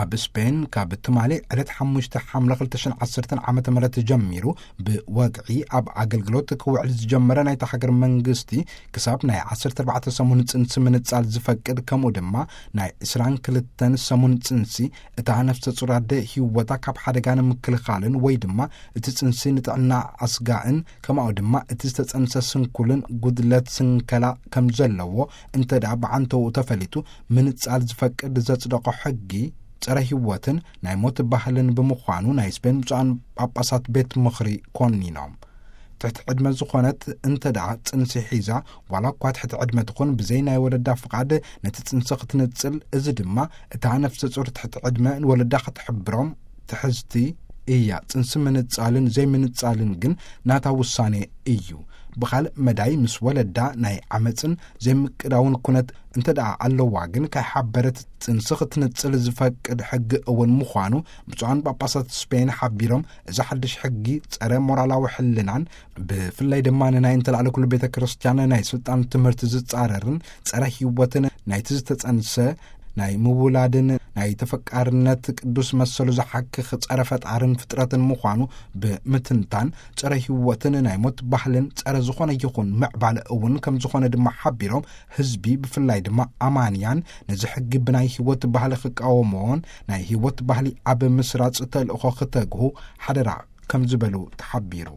ኣብ ስፔን ካብ ትማሊ ዕለት ሓሙሽተ ሓምለ ክልተ ሽሕን ዓሰርተን ዓመተ ምህረት ጀሚሩ ብወግዒ ኣብ ኣገልግሎት ክውዕል ዝጀመረ ናይታ ሃገር መንግስቲ፣ ክሳብ ናይ ዓሰርተ ኣርባዕተ ሰሙን ጽንሲ ምንጻል ዝፈቅድ፣ ከምኡ ድማ ናይ ዕስራን ክልተን ሰሙን ጽንሲ እታ ነፍሰ ጹር ኣደ ህይወታ ካብ ሓደጋ ንምክልኻልን ወይ ድማ እቲ ጽንሲ ንጥዕና ኣስጋእን፣ ከማኡ ድማ እቲ ዝተጸንሰ ስንኩልን ጉድለት ስንከላ ከም ዘለዎ እንተ ደኣ ብዓንተውኡ ተፈሊጡ ምንጻል ዝፈቅድ ዘጽደቆ ሕጊ ጸረ ህይወትን ናይ ሞት ባህልን ብምዃኑ ናይ ስፔን ብፁዓን ጳጳሳት ቤት ምኽሪ ኮኒኖም። ትሕቲ ዕድመ ዝኾነት እንተ ደኣ ጽንሲ ሒዛ፣ ዋላ እኳ ትሕቲ ዕድመ ትኹን፣ ብዘይ ናይ ወለዳ ፍቓድ ነቲ ጽንሲ ክትንጽል፣ እዚ ድማ እታ ነፍሰ ጹር ትሕቲ ዕድመ ንወለዳ ክትሕብሮም ትሕዝቲ እያ። ጽንሲ ምንጻልን ዘይምንጻልን ግን ናታ ውሳኔ እዩ። ብኻልእ መዳይ፣ ምስ ወለዳ ናይ ዓመጽን ዘይምቅዳውን ኩነት እንተ ደኣ ኣለዋ ግን፣ ከይሓበረት ጽንሲ ክትንጽል ዝፈቅድ ሕጊ እውን ምዃኑ ብፁዓን ጳጳሳት ስፔን ሓቢሮም፣ እዚ ሓድሽ ሕጊ ጸረ ሞራላዊ ሕልናን ብፍላይ ድማ ንናይ እንተላዕለ ኩሉ ቤተ ክርስቲያን ናይ ስልጣን ትምህርቲ ዝጻረርን ጸረ ህይወትን ናይቲ ዝተጸንሰ ናይ ምውላድን ናይ ተፈቃርነት ቅዱስ መሰሉ ዝሓክኽ ጸረ ፈጣርን ፍጥረትን ምዃኑ ብምትንታን፣ ጸረ ህይወትን ናይ ሞት ባህልን ጸረ ዝኾነ ይኹን ምዕባለ እውን ከም ዝኾነ ድማ ሓቢሮም፣ ህዝቢ ብፍላይ ድማ ኣማንያን ነዚ ሕጊ ብናይ ህይወት ባህሊ ክቃወምዎን ናይ ህይወት ባህሊ ኣብ ምስራጽ ተልእኾ ክተግሁ ሓደራ ከም ዝበሉ ተሓቢሩ።